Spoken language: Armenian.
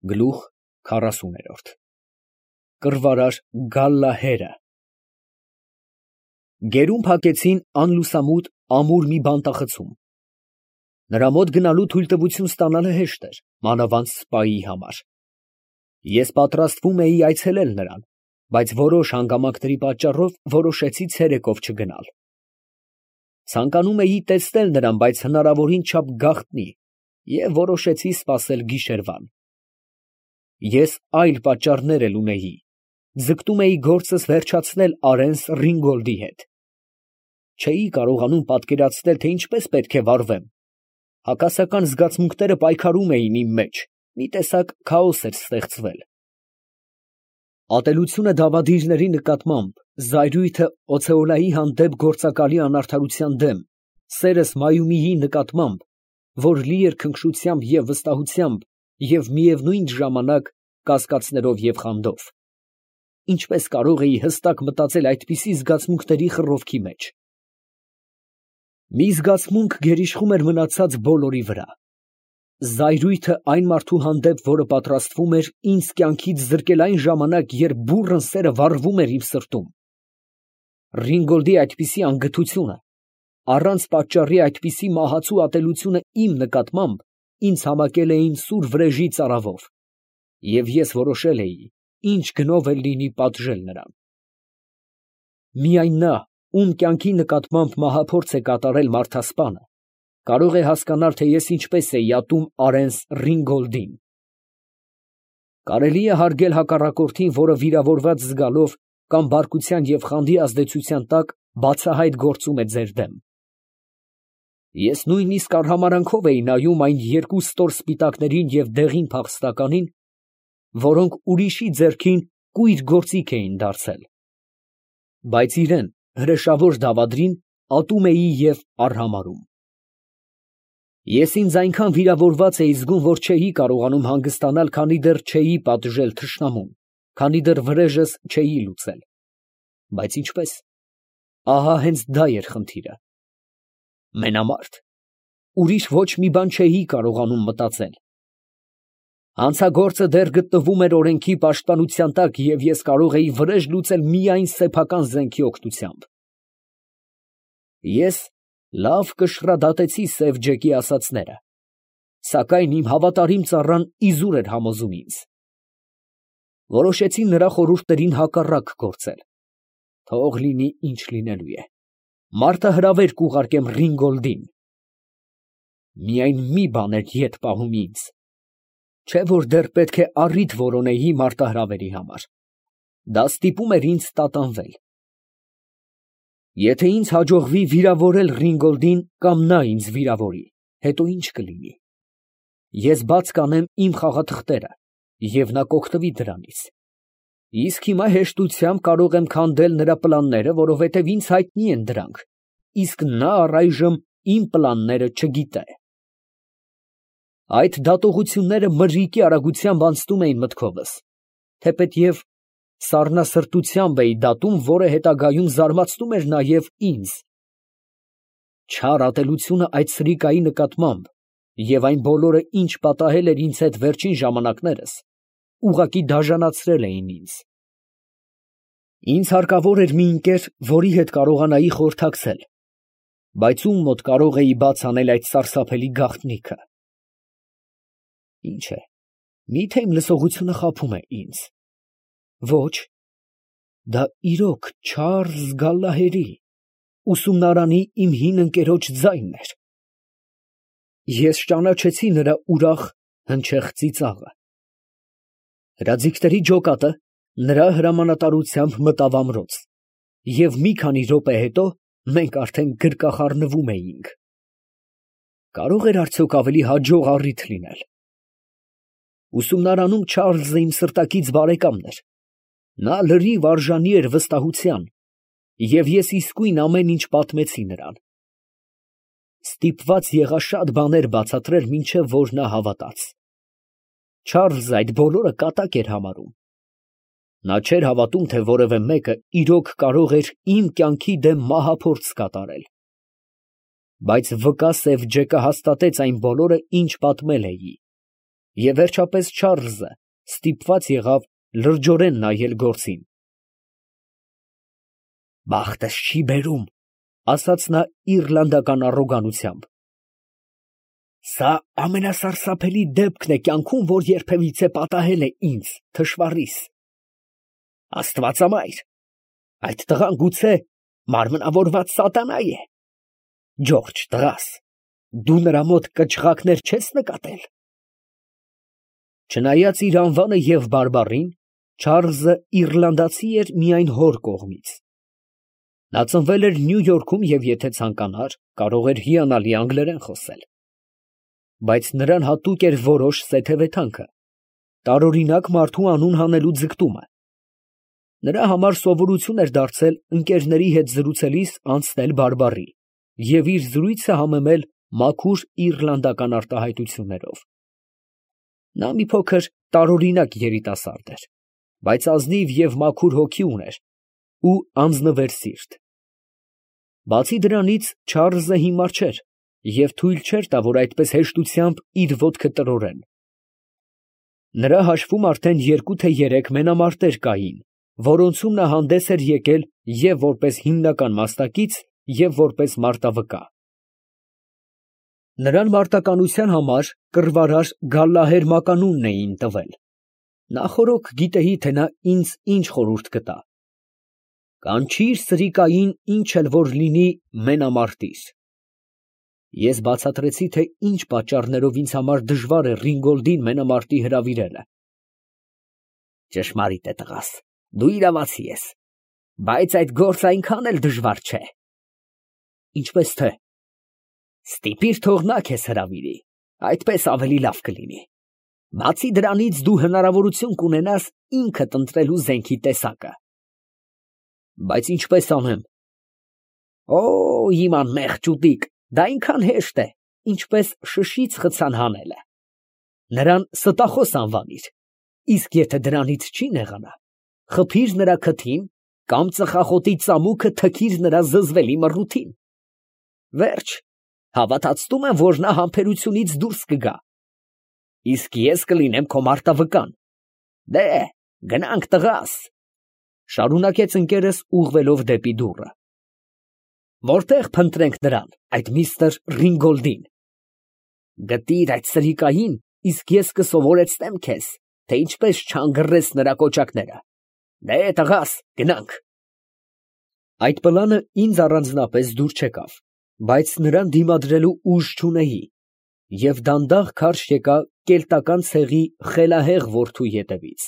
Գլուխ 40 Կռվարար Գալլահերը Գերում փակեցին անլուսամուտ ամուր մի բանտախցում։ Նրա մոտ գնալու թույլտվություն ստանալը հեշտ էր, մանավանդ սպայի համար։ Ես պատրաստվում էի այցելել նրան, բայց որոշ հանգամանքների պատճառով որոշեցի ցերեկով չգնալ։ Ցանկանում էի տեսնել նրան, բայց հնարավորին չափ գաղտնի, և որոշեցի սպասել գիշերվան։ Ես այլ պատճառներ էլ ունեի. ձգտում էի գործս վերջացնել Արենս Ռինգոլդի հետ։ Չէի կարողանում պատկերացնել, թե ինչպես պետք է վարվեմ։ Հակասական զգացմունքները պայքարում էին իմ մեջ, մի տեսակ քաոս էր ստեղծվել։ Ատելությունը դավադիրների նկատմամբ, զայրույթը Օցեոլայի հանդեպ գործակալի անարդարության դեմ, սերս Մայումիի նկատմամբ, որ լի էր քնքշությամբ և վստահությամբ և միևնույն ժամանակ կասկածներով և խանդով։ Ինչպես կարող էի հստակ մտածել այդպիսի զգացմունքների խռովքի մեջ։ Մի զգացմունք գերիշխում էր մնացած բոլորի վրա։ Զայրույթը այն մարդու հանդեպ, որը պատրաստվում էր ինձ կյանքից զրկել այն ժամանակ, երբ բուռն սերը վառվում էր իմ սրտում։ Ռինգոլդի այդպիսի անգթությունը, առանց պատճառի այդպիսի մահացու ատելությունը իմ նկատմամբ ինձ համակել էին սուր վրեժի ծարավով, և ես որոշել էի, ինչ գնով էլ լինի պատժել նրան։ Միայն նա, ում կյանքի նկատմամբ մահափորձ է կատարել մարդասպանը, կարող է հասկանալ, թե ես ինչպես էի ատում Արենս Ռինգոլդին։ Կարելի է հարգել հակառակորդին, որը վիրավորված զգալով կամ բարկության և խանդի ազդեցության տակ բացահայտ գործում է ձեր դեմ։ Ես նույնիսկ արհամարհանքով էի նայում այն երկու ստոր սպիտակներին և դեղին փախստականին, որոնք ուրիշի ձեռքին կույր գործիք էին դարձել, բայց իրան, հրեշավոր դավադրին, ատում էի և արհամարհում։ Ես ինձ այնքան վիրավորված էի զգում, որ չէի կարողանում հանգստանալ, քանի դեռ չէի պատժել թշնամուն, քանի դեռ վրեժս չէի լուծել։ Բայց ինչպե՞ս։ Ահա հենց դա էր խնդիրը։ Մենամարտ։ Ուրիշ ոչ մի բան չէի կարողանում մտածել։ Հանցագործը դեռ գտնվում էր օրենքի պաշտպանության տակ, և ես կարող էի վրեժ լուծել միայն սեփական զենքի օգնությամբ։ Ես լավ կշռադատեցի Սև Ջեկի ասածները, սակայն իմ հավատարիմ ծառան իզուր էր համոզում ինձ։ Որոշեցի նրա խորհուրդներին հակառակ գործել։ Թող լինի ինչ լինելու է, մարդահրավեր կուղարկեմ Ռինգոլդին։ Միայն մի բան էր ետ պահում ինձ, չէ՞ որ դեռ պետք է առիթ որոնեի մարտահրավերի համար. դա ստիպում էր ինձ տատանվել։ Եթե ինձ հաջողվի վիրավորել Ռինգոլդին կամ նա ինձ վիրավորի, հետո ի՞նչ կլինի։ Ես բաց կանեմ իմ խաղաթղթերը, և նա կօգտվի դրանից։ Իսկ հիմա հեշտությամբ կարող եմ քանդել նրա պլանները, որովհետև ինձ հայտնի են դրանք, իսկ նա առայժմ իմ պլանները չգիտե։ Այդ դատողությունները մրրիկի արագությամբ անցնում էին մտքովս, թեպետև սառնասրտությամբ էի դատում, որը հետագայում զարմացնում էր նաև ինձ։ Չար ատելությունը այդ սրիկայի նկատմամբ և այն բոլորը, ինչ պատահել էր ինձ հետ վերջին ժամանակներս, ուղղակի դաժանացրել էին ինձ։ Ինձ հարկավոր էր մի ընկեր, որի հետ կարողանայի խորհրդակցել, բայց ում մոտ կարող էի բաց անել այդ սարսափելի գաղտնիքը։ Ինչ է, մի՞թե իմ լսողությունը խաբում է ինձ։ Ոչ, դա իրոք Չարլզ Գալլահերի, ուսումնարանի իմ հին ընկերոջ ձայնն էր։ Ես ճանաչեցի նրա ուրախ, հնչեղ ծիծաղը։ Հրաձիգների ջոկատը նրա հրամանատարությամբ մտավ ամրոց, և մի քանի րոպե հետո մենք արդեն գրկախառնվում էինք։ Կարո՞ղ էր արդյոք ավելի հաջող առիթ լինել։ Ուսումնարանում Չարլզը իմ սրտակից բարեկամն էր։ Նա լրիվ արժանի էր վստահության, և ես իսկույն ամեն ինչ պատմեցի նրան։ Ստիպված եղա շատ բաներ բացատրել, մինչև որ նա հավատաց։ Չարլզը այդ բոլորը կատակ էր համարում։ Նա չէր հավատում, թե որևէ մեկը իրոք կարող էր իմ կյանքի դեմ մահափորձ կատարել։ Բայց վկա Սև Ջեկը հաստատեց այն բոլորը, ինչ պատմել էի, Եվ վերջապես Չարլզը ստիպված եղավ լրջորեն նայել գործին։ «Բախտս չի բերում», ասաց նա իռլանդական առոգանությամբ։ «Սա ամենասարսափելի դեպքն է կյանքում, որ երբևիցե պատահել է ինձ, թշվառիս։ Աստվածամայր, այդ տղան գուցե մարմնավորված սատանա է։ Ջորջ, տղաս, դու նրա մոտ կչղակներ չես նկատել»։ Չնայած իր անվանը և բարբառին, Չարլզը իռլանդացի էր միայն հոր կողմից։ Նա ծնվել էր Նյու Յորքում և եթե ցանկանար, կարող էր հիանալի անգլերեն խոսել։ Բայց նրան հատուկ էր որոշ սեթևեթանքը, տարօրինակ մարդու անուն հանելու ձգտումը։ Նրա համար սովորություն էր դարձել ընկերների հետ զրուցելիս անցնել բարբառի և իր զրույցը համեմել մաքուր իռլանդական արտահայտություններով։ Նա մի փոքր տարօրինակ երիտասարդ էր, բայց ազնիվ և մաքուր հոգի ուներ ու անձնվեր սիրտ։ Բացի դրանից Չարլզը հիմար չէր և թույլ չէր տա, որ այդպես հեշտությամբ իր ոտքը տրորեն։ Նրա հաշվում արդեն 2 թե 3 մենամարտեր կային, որոնցում նա հանդես էր եկել և որպես հիմնական մասնակից, և որպես մարտավկա։ Նրան մարտականության համար կռվարար գալլահեր մականունն էին տվել։ Նախօրոք գիտեի, թե նա ինձ ինչ խորհուրդ կտա։ «Կանչիր սրիկային ինչ էլ որ լինի, մենամարտիր»։ Ես բացատրեցի, թե ինչ պատճառներով ինձ համար դժվար է Ռինգոլդին մենամարտի հրավիրելը։ «Ճշմարիտ է, տղաս, դու իրավացի ես, բայց այդ գործը այնքան էլ դժվար չէ»։ «Ինչպես թե»։ «Ստիպիր, թող նա քեզ հրավիրի, այդպես ավելի լավ կլինի։ Բացի դրանից, դու հնարավորություն կունենաս ինքդ ընտրելու զենքի տեսակը»։ «Բայց ինչպես անեմ»։ «Օ, իմ անմեղ ճուտիկ, դա այնքան հեշտ է, ինչպես շշից խցան հանելը։ Նրան ստախոս անվանիր, իսկ եթե դրանից չի նեղանա, խփիր նրա քթին կամ ծխախոտի ծամուկը թքիր նրա զզվելի մռութին։ Վերջ, հավատացնում եմ, որ նա համբերությունից դուրս կգա, իսկ ես կլինեմ քո մարտավկան։ Դե, գնանք, տղաս», շարունակեց ընկերս ուղղվելով դեպի դուռը։ «Որտե՞ղ փնտրենք նրան, այդ միստր Ռինգոլդին»։ «Գտիր այդ սրիկային, իսկ ես կսովորեցնեմ քեզ, թե ինչպես չհանգռես նրա կոճակները։ Դե, տղաս, գնանք»։ Այդ պլանը ինձ առանձնապես դուր չեկավ, բայց նրան դիմադրելու ուժ չունեի և դանդաղ քարշ եկա կելտական ցեղի խելահեղ որդու ետևից։